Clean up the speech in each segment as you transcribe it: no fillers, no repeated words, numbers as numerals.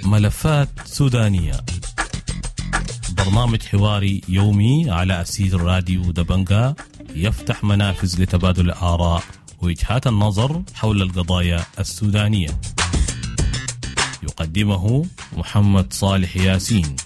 ملفات سودانية، برنامج حواري يومي على أثير راديو دبنجا، يفتح منافذ لتبادل الآراء ووجهات النظر حول القضايا السودانية. يقدمه محمد صالح ياسين.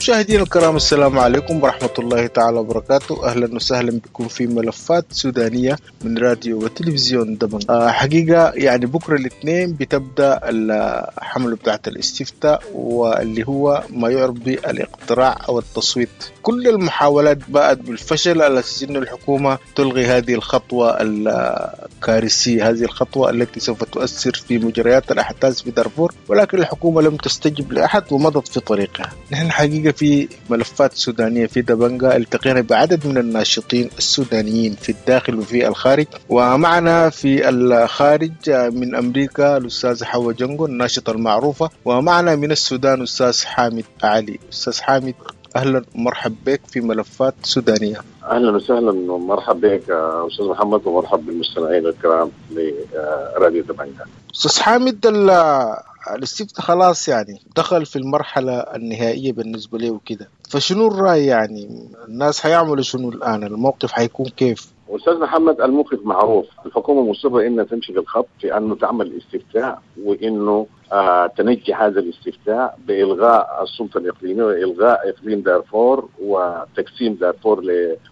مشاهدينا الكرام، السلام عليكم ورحمة الله تعالى وبركاته. أهلا وسهلا بكم في ملفات سودانية من راديو وتلفزيون دبنجا. حقيقة يعني بكرة الاثنين بتبدأ الحملة بتاعت الاستفتاء، واللي هو ما يعرف بالاقتراع أو التصويت. كل المحاولات باءت بالفشل على أساس أن الحكومة تلغي هذه الخطوة الكارثية، هذه الخطوة التي سوف تؤثر في مجريات الأحداث في دارفور، ولكن الحكومة لم تستجب لأحد ومضت في طريقها. نحن حقيقة في ملفات سودانية في دبنجا التقينا بعدد من الناشطين السودانيين في الداخل وفي الخارج، ومعنا في الخارج من أمريكا الأستاذ حوا جنجو الناشطة المعروفة، ومعنا من السودان الأستاذ حامد علي. أستاذ حامد، أهلا ومرحب بك في ملفات سودانية. أهلا وسهلا ومرحب بك أستاذ محمد، ومرحب بالمستمعين الكرام لراديو دبنجا. أستاذ حامد، الاستفتاء خلاص يعني دخل في المرحلة النهائية بالنسبة له وكده، فشنو الرأي؟ يعني الناس حيعملوا شنو الآن؟ الموقف حيكون كيف؟ أستاذ محمد، الموقف معروف. الحكومة مصرة إنها تمشي بالخط في أنه تعمل استفتاء، وإنه تنجح هذا الاستفتاء بإلغاء السلطة الإقليمية وإلغاء إقليم دارفور وتقسيم دارفور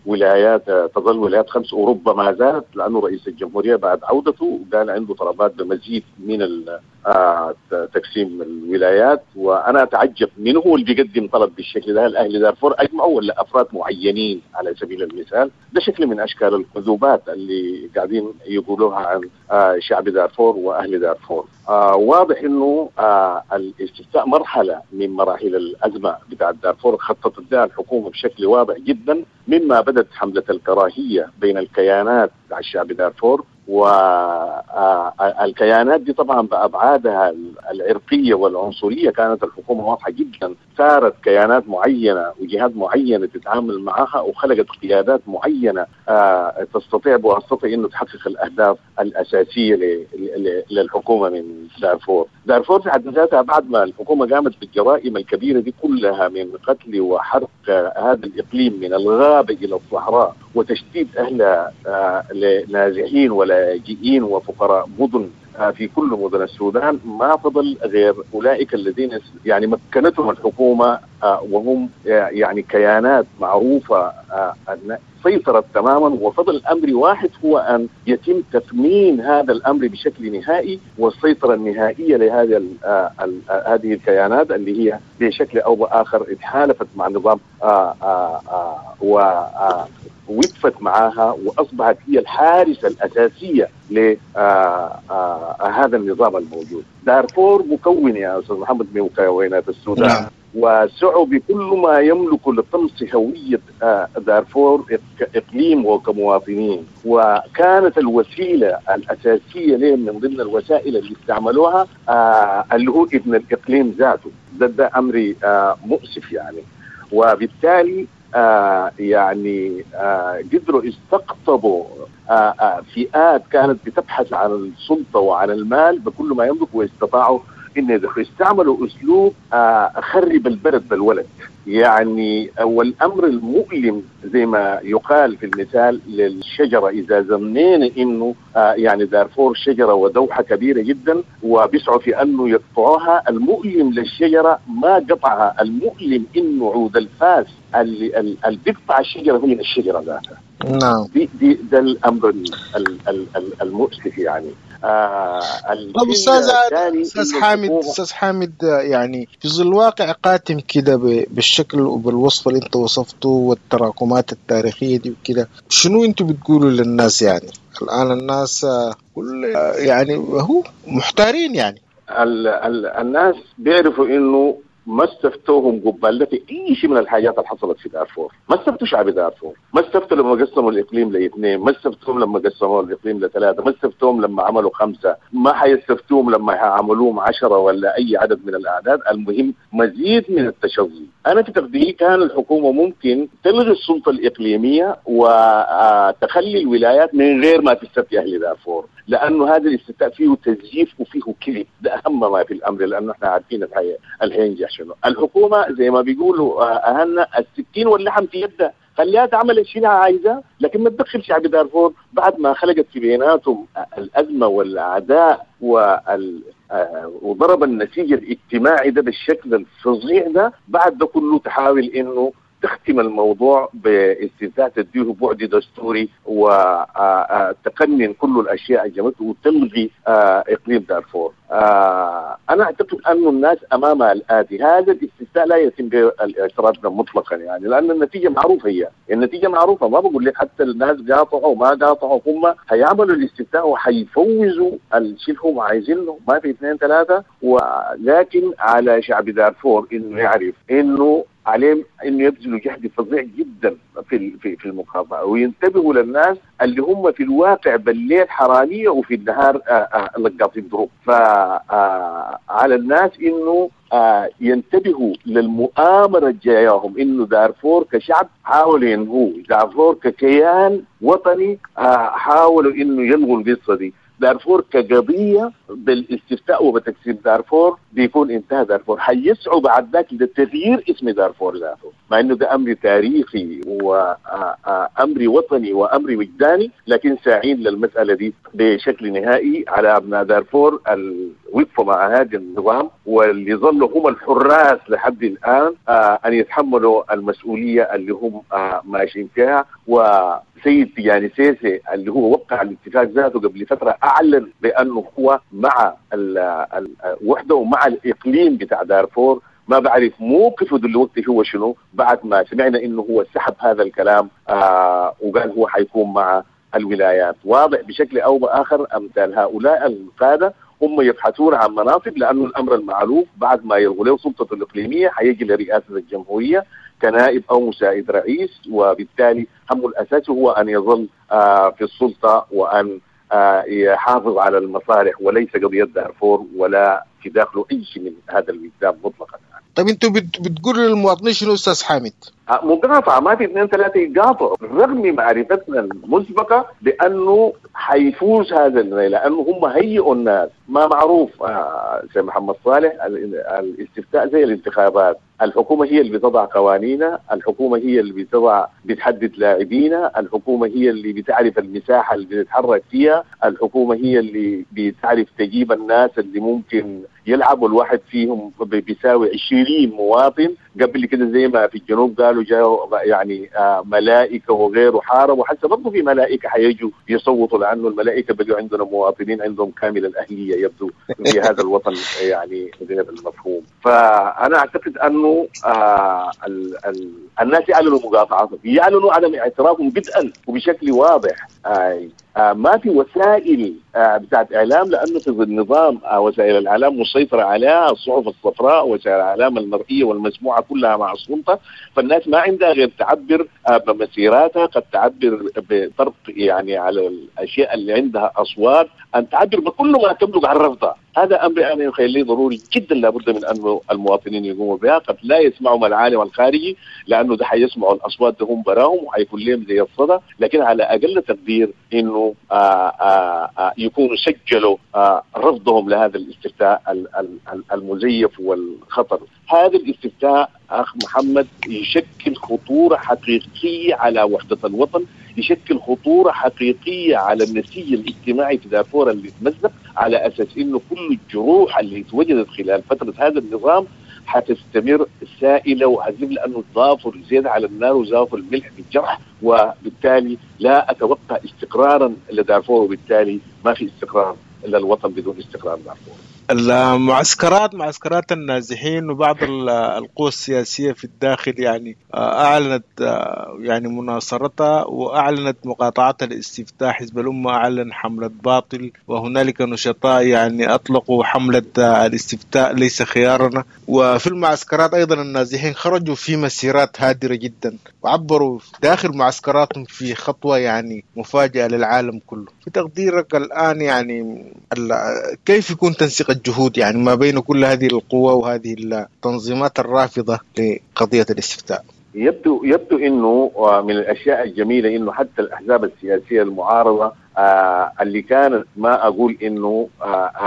لولايات، تظل ولايات 5 وربما زادت، لأنه رئيس الجمهورية بعد عودته قال عنده طلبات بمزيد من تقسيم الولايات. وأنا أتعجب من هو اللي بيقدم طلب بالشكل ده؟ الأهل دارفور أجمعوا ولا أفراد معينين على سبيل المثال؟ ده شكل من أشكال الكذوبات اللي قاعدين يقولوها عن شعب دارفور وأهل دارفور. واضح إنه الاستفتاء مرحلة من مراحل الأزمة بتاع دارفور، خططت لها الحكومة بشكل واضح جدا، مما بدت حملة الكراهية بين الكيانات بتاع الشعب دارفور، والكيانات دي طبعا بأبعادها العرقية والعنصرية كانت الحكومة واضحة جدا، ثارت كيانات معينة وجهات معينة تتعامل معها، وخلقت قيادات معينة تستطيع بواسطة إنه تحقق الأهداف الأساسية للحكومة من دارفور. دارفور في حد ذاتها بعد ما الحكومة قامت بالجرائم الكبيرة دي كلها من قتل وحرق هذا الإقليم من الغابة إلى الصحراء وتشتيت أهلها لنازحين ولاجئين وفقراء مدن في كل مدن السودان، ما فضل غير أولئك الذين يعني مكنتهم الحكومة، وهم يعني كيانات معروفة سيطرت تماما. وفضل أمر واحد هو أن يتم تثمين هذا الأمر بشكل نهائي والسيطرة النهائية لهذه هذه الكيانات اللي هي بشكل أو بآخر اتحالفت مع النظام ووقفت معها، وأصبحت هي الحارسة الأساسية لهذا النظام الموجود. دارفور مكون يا أستاذ محمد من مكونات السودان، نعم. وسعوا بكل ما يملك لطمس هوية دارفور إقليم وكمواطنين، وكانت الوسيلة الأساسية لهم من ضمن الوسائل اللي استعملوها اللي هو ابن الإقليم ذاته. ده أمر مؤسف يعني، وبالتالي يعني قدروا استقطبوا فئات كانت بتبحث عن السلطة وعن المال بكل ما يملك، واستطاعوا إن استعملوا أسلوب خرب البلد بالولد يعني. والأمر المؤلم زي ما يقال في المثال للشجرة، إذا زمنينا إنه يعني دارفور شجرة ودوحة كبيرة جدا وبيسعوا في أنه يقطعوها، المؤلم للشجرة ما قطعها، المؤلم إنه عود الفاس اللي بيقطع الشجرة هو من الشجرة ذاتها. نعم، دي ده الأمر المؤسف يعني. طب أستاذ حامد، يعني في ظل واقع قاتم كده بالشكل وبالوصف اللي انت وصفته والتراكمات التاريخية دي وكده، شنو انتوا بتقولوا للناس؟ يعني الآن الناس كل يعني هو محتارين يعني. الناس بيعرفوا انه ما استفتوهم قبال في اي شيء من الحاجات اللي حصلت في دارفور، ما استفتوا شعب دارفور، ما استفتوا لما قسموا الاقليم لاثنين، ما استفتوهم لما قسموا الاقليم لثلاثة، ما استفتوهم لما عملوا 5، ما حيستفتوهم لما حيعملوهم 10 ولا اي عدد من الاعداد. المهم مزيد من التشظي. انا في تقديري كان الحكومة ممكن تلغي السلطة الاقليمية وتخلي الولايات من غير ما تستفتي اهل دارفور، لانه هذا الاستفتاء فيه تزييف وفيه كذب، ده اهم ما في الامر، لانه احنا عارفين الحينجح شنو. الحكومة زي ما بيقولوا اهلنا السكين واللحم في يدها، خليها تعمل الشيء اللي عايزاه، لكن ما تدخل شعب دارفور بعد ما خلقت في بيناتهم الازمة والعداء وضرب النسيج الاجتماعي ده بالشكل الفظيع ده. بعد ده كله تحاول انه تختم الموضوع باستفتاء تديه بعد دستوري وتقنن كل الاشياء الجمعية وتلغي اقليم دارفور. انا اعتقد انه الناس امام الاتي، هذا الاستفتاء لا يتم بالاعتراف مطلقا، يعني لان النتيجة معروفة، هي النتيجة معروفة، ما بقول لك حتى الناس قاطعوا وما قاطعوا، هم هيعملوا الاستفتاء وحيفوزوا الشيء اللي هم عايزينه، ما في 2 3. ولكن على شعب دارفور انه يعرف انه عليهم انه يبذلوا جهد فظيع جدا في في المقاطعة، وينتبهوا للناس اللي هم في الواقع بالليل حرامية وفي النهار لقاطين دروب. فعلى الناس انه ينتبهوا للمؤامره الجاياهم، انه دارفور كشعب حاولوا ينهوه، دارفور ككيان وطني حاولوا انه يلغوا القصة دي، دارفور كقضية بالاستفتاء وبتقسيم دارفور بيكون انتهى دارفور. حيسعوا بعد ذاك لتغيير اسم دارفور ذاته، مع انه ده امر تاريخي وامر وطني وامر وجداني، لكن ساعين للمسالة دي بشكل نهائي. على ابناء دارفور الوقفة مع هذا النظام واللي ظلوا هم الحراس لحد الان ان يتحملوا المسؤولية اللي هم ماشيين فيها. وسيد تيجاني سيسي اللي هو وقع الاتفاق ذاته قبل فترة اعلن بانه هو مع الوحدة ومع الاقليم بتاع دارفور. ما بعرف موقفه دلوقتي هو شنو بعد ما سمعنا انه هو سحب هذا الكلام وقال هو حيكون مع الولايات. واضح بشكل او باخر امثال هؤلاء القادة هم يبحثون عن مناصب، لانه الامر المعروف بعد ما يلغوا له سلطته الاقليمية حيجي لرئاسة الجمهورية كنائب او مساعد رئيس، وبالتالي همه الاساسي هو ان يظل في السلطة وان يحافظ على المصالح، وليس قضية دارفور ولا في داخله اي شيء من هذا الوجدان مطلقا. طيب انتوا بتقولوا للمواطنين شنو استاذ حامد؟ مقاطعه، ما في 2 3 يقاطعوا، رغم معرفتنا المسبقة بانه حيفوز هذا، لانه هم هيئوا الناس. ما معروف سيد محمد صالح الاستفتاء زي الانتخابات، الحكومة هي اللي بتضع قوانينها، الحكومة هي اللي بتحدد لاعبينا، الحكومة هي اللي بتعرف المساحة اللي بتتحرك فيها، الحكومة هي اللي بتعرف تجيب الناس اللي ممكن يلعبوا، الواحد فيهم بيساوي 20 مواطن. قبل كده زي ما في الجنوب قالوا جاوا يعني ملائكة وغيره حاربوا، حتى برضه في ملائكة حيجوا يصوتوا، لانه الملائكة بقوا عندنا مواطنين عندهم كامل الاهلية يبدو في هذا الوطن، يعني المفهوم. فانا اعتقد انه الناس يعلنوا مقاطعتهم، يعلنوا عدم اعترافهم بدءا وبشكل واضح. ما في وسائل بتاعت اعلام، لانه في النظام وسائل الاعلام مسيطرة عليها الصحف الصفراء، وسائل الاعلام المرئية والمسموعه كلها مع السلطة، فالناس ما عندها غير تعبر بمسيراتها، قد تعبر بطرق يعني على الاشياء اللي عندها اصوات، ان تعبر بكل ما تملك عن رفضها. هذا امر انا يخيل ضروري جدا، لابد من انه المواطنين يقوموا بها. قد لا يسمعوا العالم الخارجي لانه ده حيسمعوا الاصوات ده هم براهم وحيكون لهم زي الصدى، لكن على اقل تقدير انه يكونوا سجلوا رفضهم لهذا الاستفتاء المزيف والخطر. هذا الاستفتاء اخ محمد يشكل خطورة حقيقية على وحده الوطن، يشكل خطورة حقيقية على النسيج الاجتماعي في دارفور اللي تمزق، على اساس انه كل الجروح اللي اتوجدت خلال فترة هذا النظام حتستمر سائله وهزيم، لانه ضافوا الزيت على النار وزافوا الملح في الجرح، وبالتالي لا اتوقع استقرارا لدارفور، وبالتالي ما في استقرار للوطن بدون استقرار دارفور. المعسكرات، معسكرات النازحين وبعض القوى السياسية في الداخل يعني أعلنت يعني مناصرتها وأعلنت مقاطعتها الاستفتاء. حزب الأمة أعلن حملة باطل، وهنالك نشطاء يعني أطلقوا حملة الاستفتاء ليس خيارنا. وفي المعسكرات أيضا النازحين خرجوا في مسيرات هادرة جدا وعبروا داخل معسكراتهم في خطوة يعني مفاجأة للعالم كله. في تقديرك الآن يعني كيف يكون تنسيق الجهود يعني ما بين كل هذه القوى وهذه التنظيمات الرافضة لقضية الاستفتاء؟ يبدو انه من الاشياء الجميلة انه حتى الاحزاب السياسية المعارضة اللي كانت ما اقول انه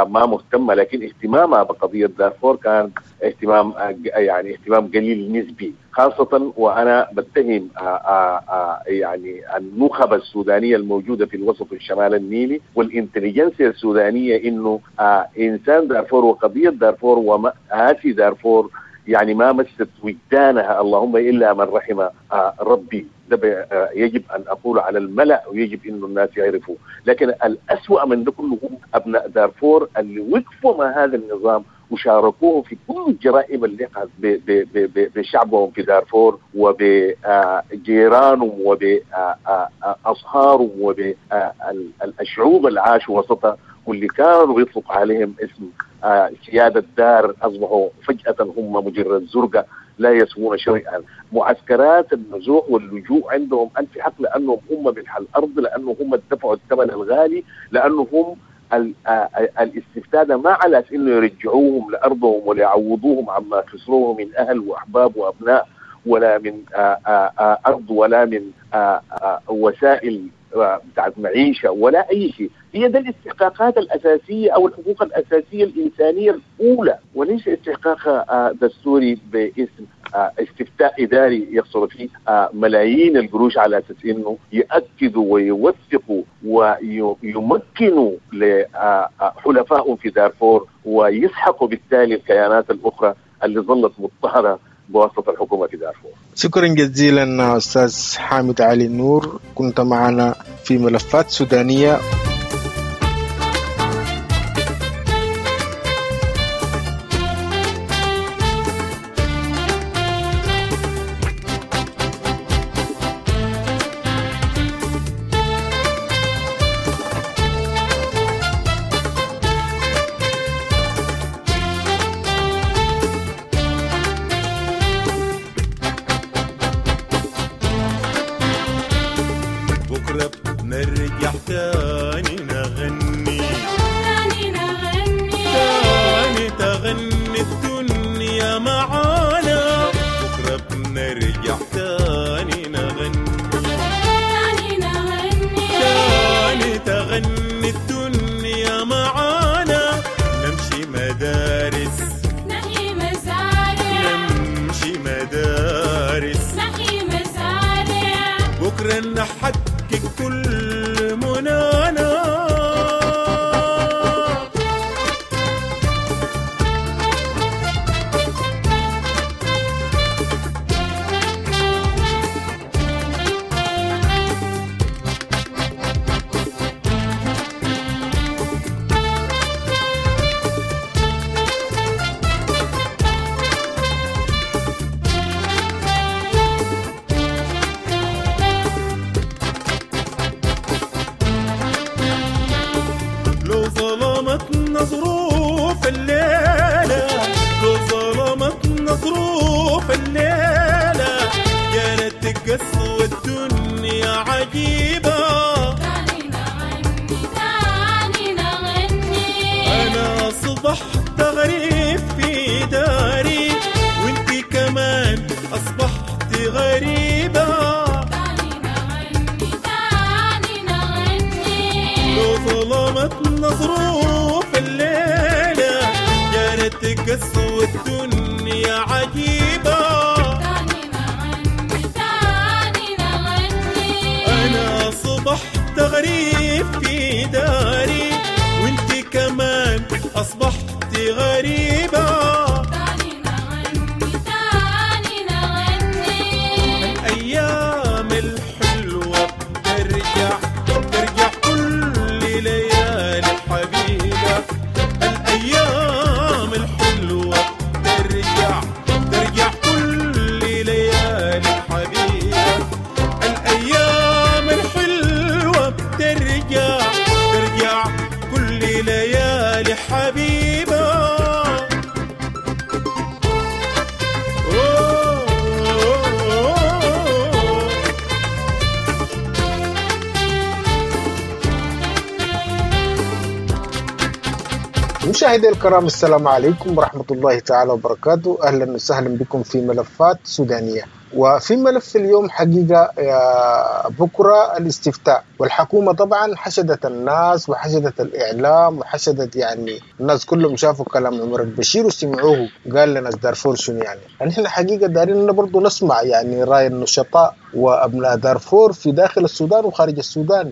ما مهتمة، لكن اهتمامها بقضيه دارفور كان اهتمام يعني اهتمام قليل نسبي، خاصة وانا بتهم يعني النخب السودانية الموجودة في الوسط الشمال النيلي والانتليجنسيا السودانية انه انسان دارفور وقضية دارفور ومآسي دارفور يعني ما مست وجدانها اللهم الا من رحم ربي. ده يجب ان اقول على الملأ ويجب انه الناس يعرفوا. لكن الأسوأ من ده كله هم ابناء دارفور اللي وقفوا مع هذا النظام وشاركوه في كل الجرائم اللي وقعت بشعبهم في دارفور وبجيرانهم وبأصهارهم وبالشعوب اللي عاشوا وسطها واللي كانوا يطلق عليهم اسم سيادة دار، أصبحوا فجأة هم مجرد زرقة لا يسوون شيئا. معسكرات النزوح واللجوء عندهم ألف حق، لأنهم هم من الأرض، لأنهم هم دفعوا الثمن الغالي، لأنهم الاستفتاء ده ما على أساس إنه يرجعوهم لأرضهم ولا يعوضوهم عما خسروه من أهل وأحباب وأبناء، ولا من أرض، ولا من وسائل بتاعت معيشة، ولا أي شيء. هي ده الاستحقاقات الأساسية أو الحقوق الأساسية الإنسانية الأولى، وليس استحقاق دستوري باسم استفتاء إداري يخسر فيه ملايين القروش على أساس إنه يأكدوا ويوثقوا ويمكنوا لحلفائهم في دارفور ويسحقوا بالتالي الكيانات الأخرى اللي ظلت مضطهدة بواسطة الحكومة في دارفور. شكرا جزيلا أستاذ حامد علي النور، كنت معنا في ملفات سودانية. نرجع تاني نغني، تاني نغني، تاني تغني الدنيا معانا. بكرة بنرجع تاني نغني، تاني نغني، تاني تغني الدنيا معانا. نمشي مدارس، نحيي مزارع، نمشي مدارس، نحيي مزارع. بكرة نحقق كل منانا. لو ظلمتنا ظروف الليلة، لو ظلمتنا ظروف الليلة، يا ريت تقسو الدنيا عجيبة. تاني نغني، تاني نغني، أنا أصبحت غريب في داري، وانت كمان أصبحت غريبة. تاني نغني، تاني نغني، لو ظلمتنا ظروف الليلة، يا ريت تقسو الدنيا عجيبة. تاني نغني، تاني نغني، أنا أصبحت غريب في داري، وانت كمان أصبحت غريبة. تاني نغني، تاني نغني، الأيام الحلوة بترجع، ترجع كل ليالي حبيبة. الأيام بترجع، ترجع كل ليالي حبيبة. الأيام الحلوة بترجع، ترجع كل ليالي حبيبة. مشاهدي الكرام، السلام عليكم ورحمة الله تعالى وبركاته. أهلا وسهلا بكم في ملفات سودانية. وفي ملف اليوم حقيقة بكرة الاستفتاء، والحكومة طبعا حشدت الناس وحشدت الإعلام وحشدت يعني الناس كلهم شافوا كلام عمر البشير وسمعوه قال لنا دارفور شنو يعني. نحن حقيقة دارين برضو نسمع يعني رأي النشطاء وأبناء دارفور في داخل السودان وخارج السودان،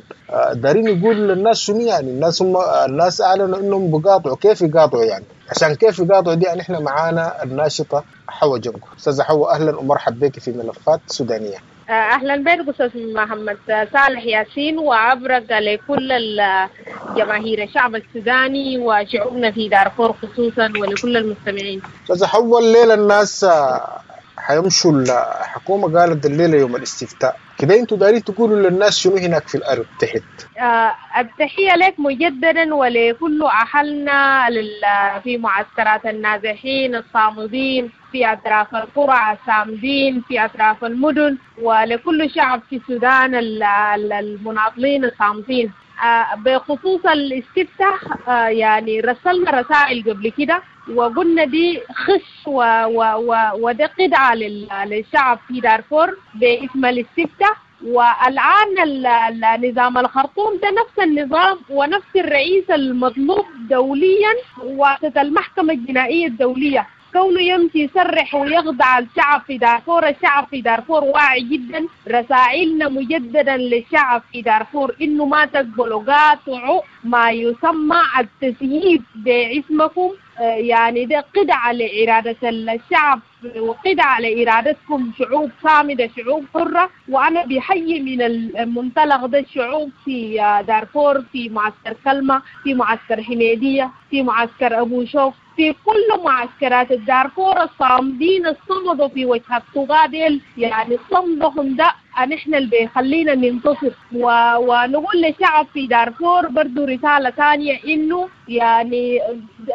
دارين يقول للناس شنو يعني. الناس هم الناس أعلنوا إنهم بقاطعوا، كيف يقاطعوا يعني؟ عشان كيف يقاطعوا دي نحن معانا الناشطة حوا جنكو. أستاذة حوا، أهلا ومرحبا بك في ملفات سودانية. أهلا بك أستاذ محمد صالح ياسين، وعبرك لكل جماهير الشعب السوداني وشعوبنا في دارفور خصوصا ولكل المستمعين. أستاذة حوا، الليلة الناس حيمشوا، الحكومة قالت الليلة يوم الاستفتاء كده، انتوا دارين تقولوا للناس شنو هناك في الأرض تحت؟ التحية لك مجددا ولكل أهلنا في معسكرات النازحين الصامدين في أطراف القرى الصامدين في أطراف المدن، ولكل شعب في السودان المناضلين الصامدين. بخصوص الاستفتاء، يعني رسلنا رسائل قبل كده وقلنا دي خش وده قدعة للشعب في دارفور باسم الاستفتاء. والآن نظام الخرطوم ده نفس النظام ونفس الرئيس المطلوب دوليا واسطة المحكمة الجنائية الدولية، كونه يمشي يسرح ويخضع الشعب في دارفور. الشعب في دارفور واعي جدا. رسائلنا مجددا للشعب في دارفور انه ما تقبلوا، قاطعوا ما يسمى التسييب باسمكم، يعني ده قدعة لإرادة الشعب وقدعة لإرادتكم، شعوب صامدة شعوب حرة. وأنا بحيي من المنطلق ده الشعوب في دارفور، في معسكر كلمة، في معسكر حميدية، في معسكر أبو شوك، في كل معسكرات الدارفور الصامدين الصمدوا في وجه الطغاة ديل، يعني صمدهم ده نحن اللي بيخلينا ننتصر. ونقول للشعب في دارفور برضو رسالة ثانية، إنه يعني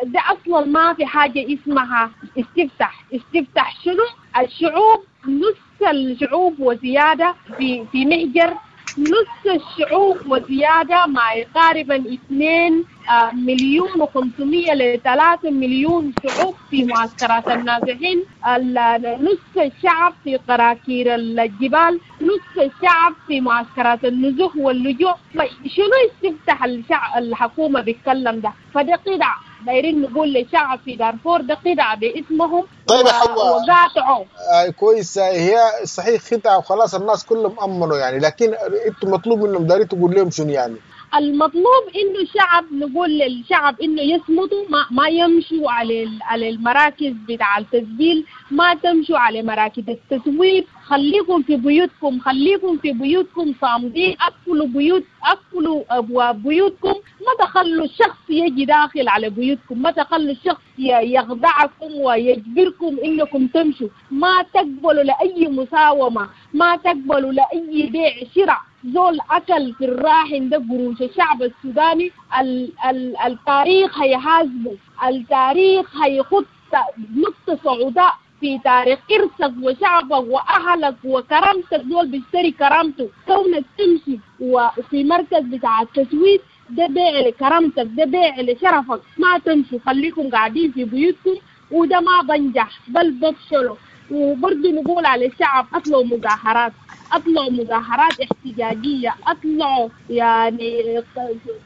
ده أصلا ما في حاجة اسمها استفتح. استفتح شنو؟ الشعوب نص الشعوب وزيادة في مهجر، نص الشعوب وزيادة ما يقارب 2,500,000 ل 3 مليون شعوب في معسكرات النازحين، نص الشعب في قراكير الجبال، نص الشعب في معسكرات النزوح واللجوء. شنو استفتح الحكومة بيتكلم ده؟ فده قدع دايرين نقول للشعب في دارفور ده قدعة باسمهم. طيب يا حوا، وقاطعوا. كويس، هي صحيح خدعة وخلاص الناس كلهم أمنوا يعني، لكن انتم مطلوب منهم دايرين تقول لهم شنو يعني؟ المطلوب انه الشعب، نقول للشعب انه يصمتوا، ما يمشوا على المراكز بتاع التسجيل، ما تمشوا على مراكز التسويق، خليكم في بيوتكم، خليكم في بيوتكم صامدين، اقفلوا بيوت، اقفلوا ابواب بيوتكم، ما تخلوا الشخص يجي داخل على بيوتكم، ما تخلوا الشخص يخدعكم ويجبركم انكم تمشوا، ما تقبلوا لاي مساومه، ما تقبلوا لاي بيع شراء. زول أكل في الراحن ده قروش الشعب السوداني، التاريخ هيحاسبه، التاريخ هيخط نقطة سوداء في تاريخ إرثك وشعبك وأهلك وكرامتك. زول بيشتري كرامته، كونك تمشي وفي مركز بتاع التسويق ده بيع لكرامتك، ده بيع لشرفك. ما تمشوا، خليكم قاعدين في بيوتكم، وده ما بنجح بل بفشلوا. وبرضه نقول على الشعب اطلعوا مظاهرات، اطلعوا مظاهرات احتجاجيه، اطلعوا يعني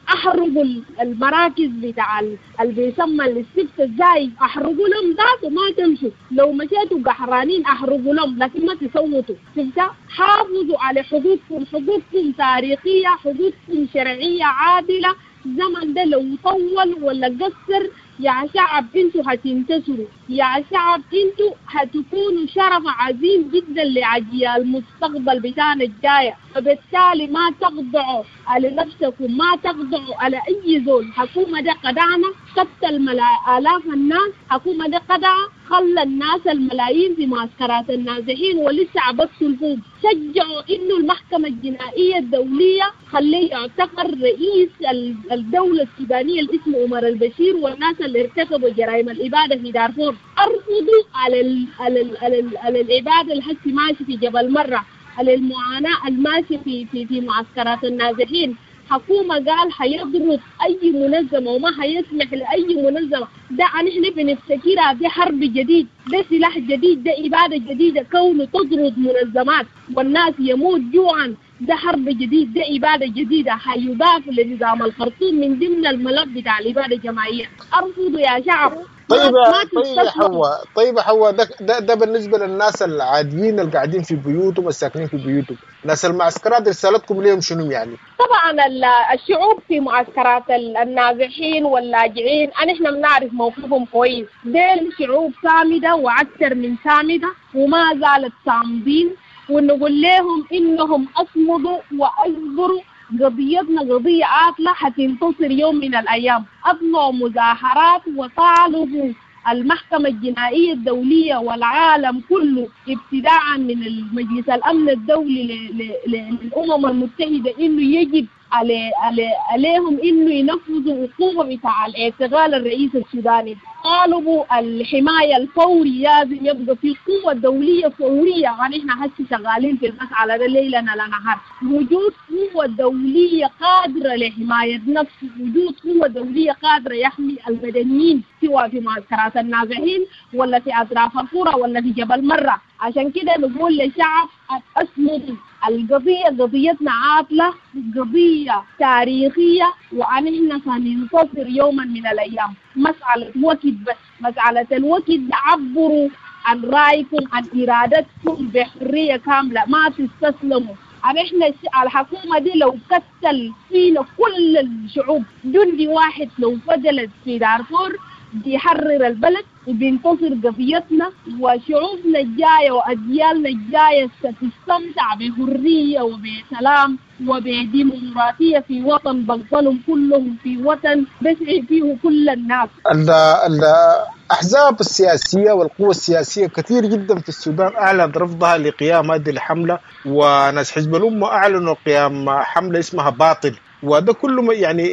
احرقوا المراكز بتاع اللي بيسمى الاستفتاء الزايد، احرقوا لهم ذاته، ما تمشوا. لو مشيتوا قحرانين احرقوا لهم، لكن ما تصوتوا. شفتها؟ حافظوا على حقوقكم، حقوقكم تاريخيه، حقوقكم شرعيه عادله. الزمن ده لو طول ولا قصر يا شعب انتوا هتنتصروا، يا شعب انتوا هتكونوا شرف عظيم جدا لأجيال المستقبل بتاعنا الجاية. فبالتالي ما تخضعوا على نفسكم، ما تخضعوا على أي زول. حكومة ده قدعنا قتل آلاف الناس، حكومة ده قدع خلى الناس الملايين في معسكرات النازحين ولسه عبثوا الفوق. شجعوا انه المحكمة الجنائية الدولية خليه يعتقل رئيس الدولة السودانية اللي اسمه عمر البشير والناس اللي ارتكبوا جرائم الإبادة في دارفور. ارفضوا على ال على ال على, ال على الإبادة اللي هسه ماشي في جبل مرة، على المعاناة الماشية في في في معسكرات النازحين. حكومة قال حيضرب أي منظمة وما حيسمح لأي منظمة. ده نحن بنفتكرها دي حرب جديد، ده سلاح جديد، ده إبادة جديدة. كونه تطرد منظمات والناس يموت جوعا، ده حرب جديد، ده إبادة جديدة حيضاف لنظام الخرطوم من ضمن الملف بتاع الإبادة الجماعية. أرفضوا يا شعب. طيب يا حواء، طيب يا حواء، ده بالنسبة للناس العاديين اللي قاعدين في بيوتهم الساكنين في بيوتهم، ناس المعسكرات رسالتكم ليهم شنو يعني؟ طبعا الشعوب في معسكرات النازحين واللاجئين نحن بنعرف موقفهم كويس. ديل شعوب صامدة وأكثر من صامدة وما زالت صامدين، ونقول لهم إنهم أصمدوا وأصبروا. قضيتنا قضية عاطلة حتنتصر يوم من الأيام. أطلعوا مظاهرات وطالبوا المحكمة الجنائية الدولية والعالم كله ابتداء من المجلس الأمن الدولي للأمم المتحدة إنه يجب عليهم إنه ينفذوا عقوبة بتاع الاعتقال الرئيس السوداني. طالبوا الحماية الفوري، لازم يبقى في قوة دولية فورية. يعني احنا هسه شغالين في المسألة ده ليلنا لا نهار. وجود قوة دولية قادرة لحماية نفسه، وجود قوة دولية قادرة يحمي المدنيين سواء في معسكرات النازحين ولا في أطراف القرى ولا في جبل مرة. عشان كده نقول للشعب أصمدوا، القضية قضيتنا عاطلة، قضية تاريخية، ونحن سننتصر يوما من الأيام. مسألة وقت بس، مسألة الوقت. عبروا عن رأيكم عن إرادتكم بحرية كاملة، ما تستسلموا. نحن الحكومة دي لو قتل فينا كل الشعوب جندي واحد لو فضلت في دارفور بيحرر البلد وبينتصر قضيتنا، وشعوبنا الجاية وأجيالنا الجاية ستستمتع بحرية وبسلام وبديمقراطية في وطن بقبلهم كلهم، في وطن بسعي فيه كل الناس. الأحزاب السياسية والقوى السياسية كثير جدا في السودان أعلنت رفضها لقيام هذه الحملة، وناس حزب الأمة أعلنوا قيام حملة اسمها باطل، وده كله يعني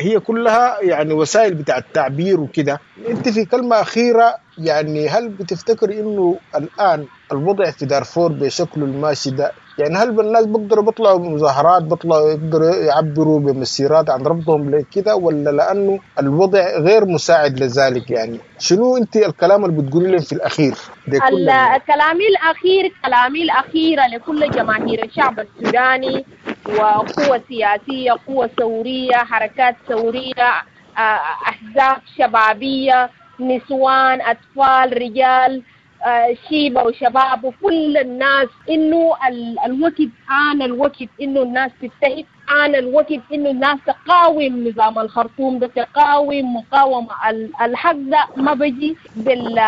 هي كلها يعني وسائل بتاع التعبير وكده. انت في كلمة أخيرة، يعني هل بتفتكر انه الآن الوضع في دارفور بشكله الماشي ده، يعني هل الناس بيقدروا بيطلعوا بمظاهرات، بيطلعوا يقدروا يعبروا بمسيرات عن رفضهم لكده، ولا لأنه الوضع غير مساعد لذلك؟ يعني شنو انت الكلام اللي بتقولي لهم في الأخير؟ كلامي الأخير لكل جماهير الشعب السوداني وقوة سياسية، قوة ثورية، حركات ثورية، أحزاب شبابية، نسوان، أطفال، رجال، شيبة وشباب وكل الناس، إنه الوقت آن الوقت إنه الناس تتحد، آن الوقت إنه الناس تقاوم نظام الخرطوم ده، تقاوم مقاومة. الحق ده ما بيجي بال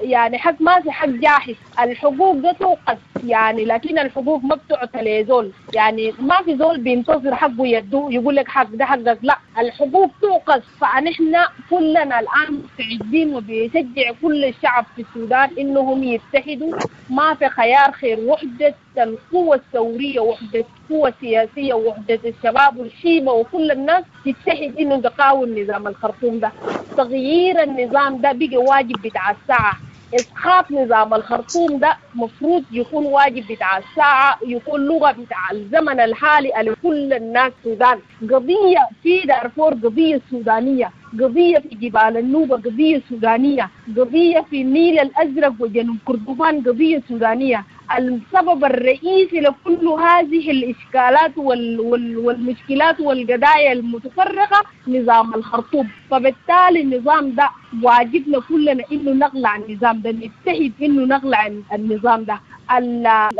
يعني حق، ما في حق جاهز. الحقوق ده توقف يعني، لكن الحقوق ما بتعطى لزول، يعني ما في زول بينتظر حقه يدوه يقول لك حق ده حقك، لا، الحقوق توقف. فنحن كلنا الآن مستعدين وبيشجع كل الشعب في السودان إنهم يتحدوا. ما في خيار خير وحدة القوة الثورية، وحدة قوة سياسية، وحدة الشباب والشيبة وكل الناس تتحد إنه تقاوم نظام الخرطوم ده. تغيير النظام ده بقى واجب بتاع الساعة. إسقاط نظام الخرطوم ده مفروض يكون واجب بتاع الساعة، يكون لغة بتاع الزمن الحالي لكل الناس السودان. قضية في دارفور قضية سودانية، قضية في جبال النوبة قضية سودانية، قضية في النيل الأزرق وجنوب كردفان قضية سودانية. السبب الرئيسي لكل هذه الإشكالات والمشكلات والقضايا المتفرقة نظام الخرطوم. فبالتالي النظام ده واجبنا كلنا إنه نقلع النظام ده، نتحد إنه نقلع النظام ده.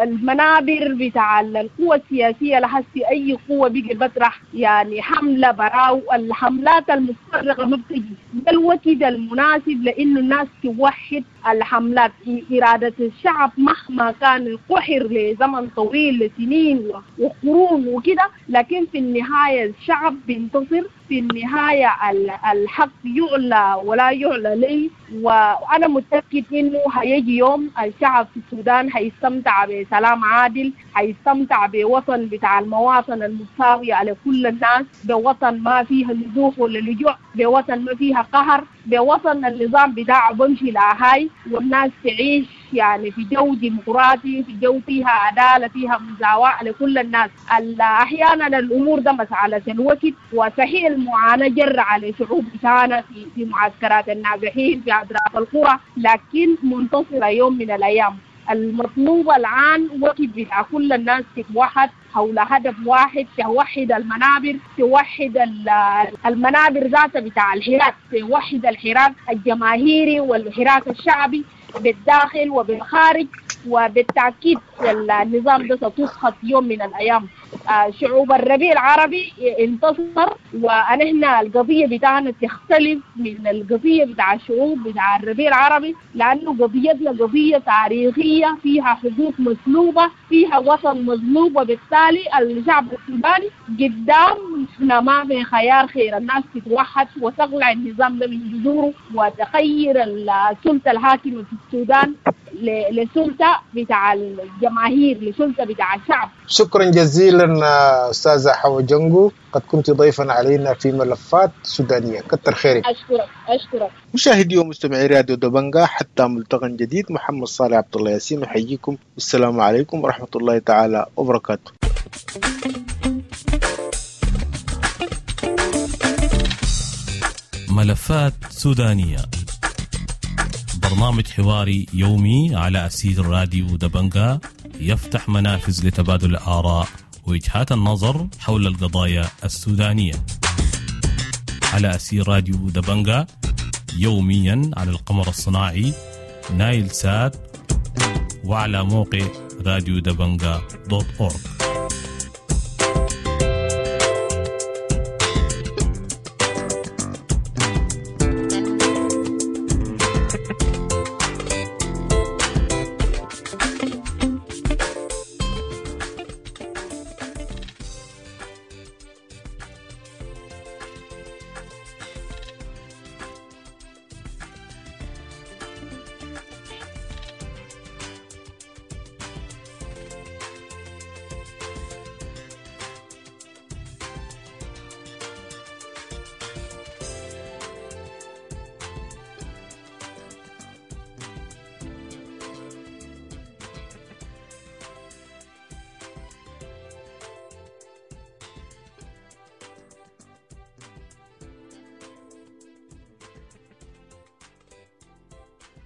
المنابر بتاع القوى السياسية لحسي أي قوة بيجي بطرح يعني حملة براو، الحملات المتفرقة ما بتجي. ده الوقت المناسب لأنه الناس توحد الحملات. إرادة الشعب مهما كان قحر لزمن طويل لسنين وقرون وكده، لكن في النهاية الشعب بينتصر، في النهاية الحق يعلى ولا يعلى ليه. وأنا متأكد إنه هيجي يوم الشعب في السودان هيستمتع بسلام عادل، هيستمتع بوطن بتاع المواطن المتساوية على كل الناس، بوطن ما فيها نزوح ولا لجوء، بوطن ما فيها قهر، بوطن النظام بتاعه بمشي لهاي، والناس تعيش يعني في جو ديمقراطي، في جو فيها عدالة، فيها مساواة لكل الناس. أحيانا الأمور ده مسألة الوقت، وصحيح المعاناة جر على شعوب بتاعنا في معسكرات النازحين في أطراف القرى، لكن منتصرة يوم من الأيام. المطلوب الآن وقت بتاع كل الناس تتوحد حول هدف واحد، توحد المنابر، توحد المنابر ذاتها بتاع الحراك، توحد الحراك الجماهيري والحراك الشعبي بالداخل وبالخارج. وبالتأكيد النظام ده ستسقط يوم من الأيام. شعوب الربيع العربي انتصر، ونحن القضية بتاعنا تختلف من القضية بتاع الشعوب بتاع الربيع العربي، لأنه قضيتنا قضية تاريخية فيها حقوق مسلوبة، فيها وطن مظلوم، وبالتالي الشعب السوداني قدام احنا ما في خيار خير. الناس تتوحد وتقلع النظام ده من جذوره وتغير السلطة الحاكمة في السودان لسلطة بتاع الجماهير، لسلطة بتاع الشعب. شكرا جزيلا أستاذة حوا جنجو، قد كنت ضيفا علينا في ملفات سودانية. كتر خيرك. أشكرك. مشاهدي ومستمعي راديو دبنجا، حتى ملتقى جديد، محمد صالح عبد الله ياسين يحييكم، والسلام عليكم ورحمة الله تعالى وبركاته. ملفات سودانية، برنامج حواري يومي على أسير راديو دبنجا، يفتح منافذ لتبادل الآراء ووجهات النظر حول القضايا السودانية على أسير راديو دبنجا، يوميا على القمر الصناعي نايل سات وعلى موقع راديو دبنجا .org.